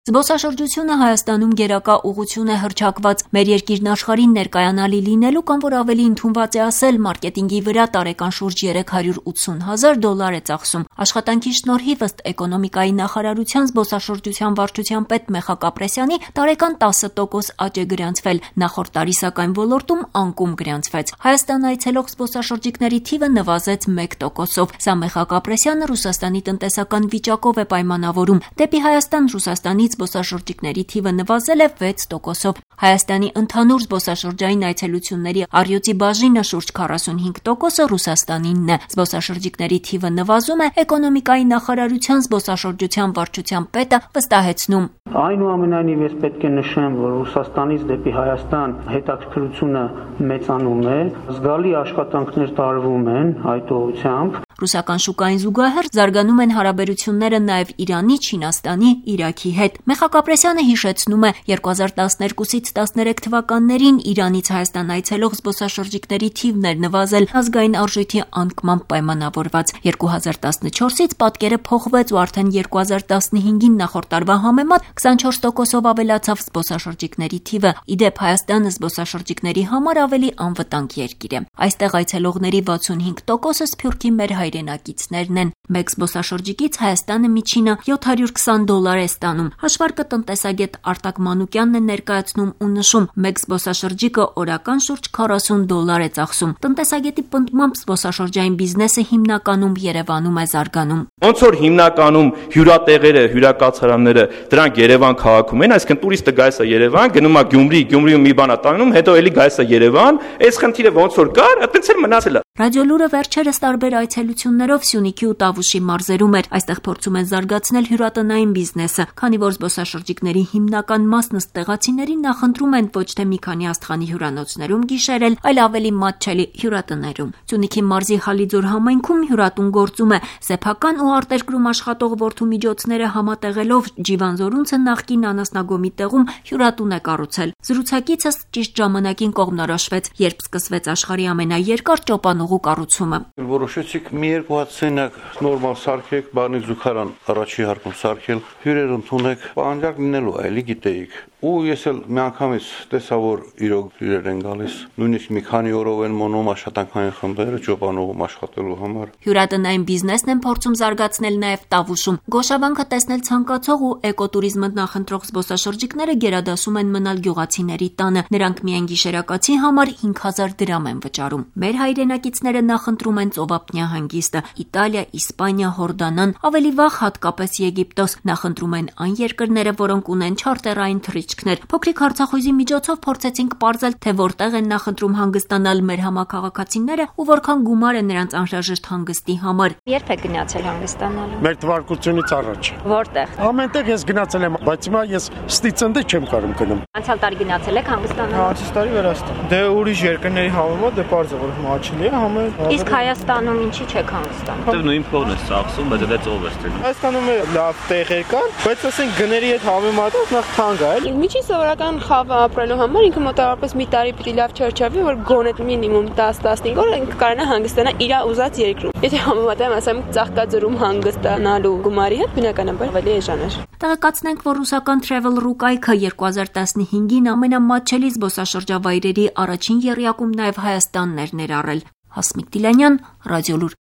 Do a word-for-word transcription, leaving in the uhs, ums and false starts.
Զբոսաշրջությունը Հայաստանում գերակա ուղղություն է հռչակված մեր երկիրն աշխարհին ներկայանալի լինելու կամ որ ավելի ընդունված է ասել մարքեթինգի վրա տարեկան շուրջ երեք հարյուր ութսուն հազար դոլար է ծախսում։ Աշխատանքի շնորհիվ ըստ էկոնոմիկայի նախարարության զբոսաշրջության վարչության պետ Մեխակ Ապրեսյանի տարեկան տասը տոկոս աճ է գրանցվել, նախորդ տարի սակայն ոլորտում անկում գրանցվեց։ Հայաստան այցելող զբոսաշրջիկների թիվը նվազեց մեկ տոկոսով։ Սա Մեխակ Ապրեսյանը Ռուսաստանի տնտեսական վիճակով է պայմանավորում։ Դեպի Հայաստան Ռուսաստանից զբոսաշրջիկների թիվը նվազել է վեց տոկոսով։ Հայաստանի ընդհանուր զբոսաշրջային այցելությունների առյուծի բաժինը շուրջ քառասունհինգ տոկոսը Ռուսաստանինն է։ Զբոսաշրջիկների թիվը նվազում է էկոնոմիկայի նախարարության զբոսաշրջության վարչության պետը վստահեցնում։ Այնուամենայնիվ ես պետք է նշեմ, որ Ռուսաստանից դեպի Հայաստան հետաքրքրությունը մեծանում է, զգալի աշխատանքներ տարվում են այդ ուղղությամբ։ Ռուսական շուկային զուգահեռ զարգանում են հարաբերությունները նաև Իրանի, Չինաստանի, Իրաքի հետ։ Մեխակ Ապրեսյանը հիշեցնում է երկու հազար տասներկուսից տասներեք թվականներին Իրանից Հայաստան այցելող զբոսաշրջիկների թիվն էր նվազել ազգային արժույթի անկմամբ պայմանավորված։ երկու հազար տասնչորսից պատկերը փոխվեց ու արդեն երկու հազար տասնհինգին նախորդ տարվա համեմատ քսանչորս տոկոսով ավելացավ զբոսաշրջիկների թիվը։ Իդեպ Հայաստանը զբոսաշրջիկների համար ավելի անվտանգ երկիր է։ Այստեղ այցելողների վաթսունհինգ տոկոսը սփյուռքի մեր հայրենակիցներն են։ Մեկ զբոսաշրջիկից Հայաստանը միջինը յոթ հարյուր քսան դոլար է ստանում։ Հաշվարկը տնտեսագետ Արտակ Մանուկյանն է ներկայացնում ու նշում, մեկ զբոսաշրջիկը օրական շուրջ քառասուն դոլար է ծախսում։ Տնտեսագետի պնդմամբ զբոսաշրջային բիզնեսը հիմնականում Երևանում է զարգանում։ Ոնց որ հիմնականում հյուրատեղերը, հյուրակացարանները դրանք Երևան քաղաքում են, այսինքն տուրիստը գալիս է Երևան, գնում է Գյումրի, Գյումրիում մի բան է տանում, հետո էլի գալիս է Երևան, այս խնդիրը ոնց որ կար, այդպես էլ մնացել է։ Ռադիոլուրը վերջերս տարբեր այցելություններով Սյունիքի ու Տավուշի մարզերում էր։ Այստեղ փորձում են զարգացնել հյուրատնային բիզնեսը, քանի որ զբոսաշրջիկների հիմնական մասն ըստ տեղացիների նախընտրում են ոչ թե մի քանի աստղանի հյուրանոցներում գիշերել, այլ ավելի մատչելի հյուրատներում։ Սյունիքի մարզի Հալիձոր համայնքում հյուրատուն գործում է։ Սեփական ու արտերկրում աշխատող որդումիջոցները համատեղելով Ջիվանզորունցը նախկին անասնագոմի տեղում հյուրատուն է կառուցել։ Զրուցակիցս ճիշտ ժամանակին կողմնորոշվեց, երբ սկսվեց աշխարհի ամենաերկար ճոպանուղու կառուցումը։ Որոշեցիք մի երկու հատ սենյակ նորմալ սարքեք, բանի զուգարան առաջի հարկում սարքել, հյուրեր ընդունեք, պահանջարկ լինելու է, էլի գիտեիք։ Ու ես էլ միանգամից տեսա, որ իրոք հյուրեր են գալիս, նույնիսկ մի քանի օրով են մոնում աշխատանքային խմբերը ճոպանուղում աշխատելու համար։ Հյուրատնային բիզնեսն են փորձում զարգացնել նաև Տավուշում։ Գոշավանքը տեսնել ցանկացող ու էկոտուրիզմը նախընտրող զբոսաշրջիկները գերադասում են մնալ գյուղացիների տանը։ Նրանք միայն գիշերակացի համար հինգ հազար դրամ են վճարում։ Մեր հայրենակիցները նախընտրում են ծովափնյա հանգիստը՝ Իտալիա, Իսպանիա, Հորդանան, ավելի վաղ հատկապես Եգիպտոս։ Նախընտրում են այն երկրները, որոնք ունեն չարտերային թռիչքներ։ Փոքրիկ հարցախույզի միջոցով փորձեցինք պարզել, թե որտեղ են նախընտրում հանգստանալ մեր համակարգացիները ու որքան գումար է նրանց անհրաժեշտ հանգստի համար։ Երբ եք գնացել հանգստանալու։ Մեր թվարկությունից առաջ։ Որտեղ։ Ամենտեղ ես գնացել եմ, բայց հիմա ես ստիծնդի չեմ կարող գնում։ Անցյալ տարի գնացել եք հանգստանալու։ Անցյալ տարի Վրաստան։ Դե ուրիշ երկրների համեմատ դե պարզ է, որ մաչելի է համը։ Իսկ Հայաստանում ինչի՞ չեք հանգստանում։ Դե նույն փողն է ծախսում, բայց դա ծով է ստանում։ Հայաստանում լավ տեղեր կան, բայց ասենք գների հետ համեմատած նախ թանկ է, այլ։ Միջին սովորական խավ ապրելու համար ինքը մոտավորապես մի տարի պիտի լավ չարչավի, որ գոնե մինիմում դես տասնհինգ օր ինքը կարողանա հանգստանալ իր ուզած երկրում։ Եթե համեմատեմ, ասեմ, ծաղկաձորում հանգստանալու գումարի հետ, բնականաբար ավելի էժան է։ Տեղեկացնենք, որ ռուսական Travel.ru կայքը երկու հազար տասնհինգին ամենամատչելի զբոսաշրջավայրերի առաջին եռյակում նաև Հայաստանն էր ներառել։ Հասմիկ Դիլանյան, Ռադիոլուր։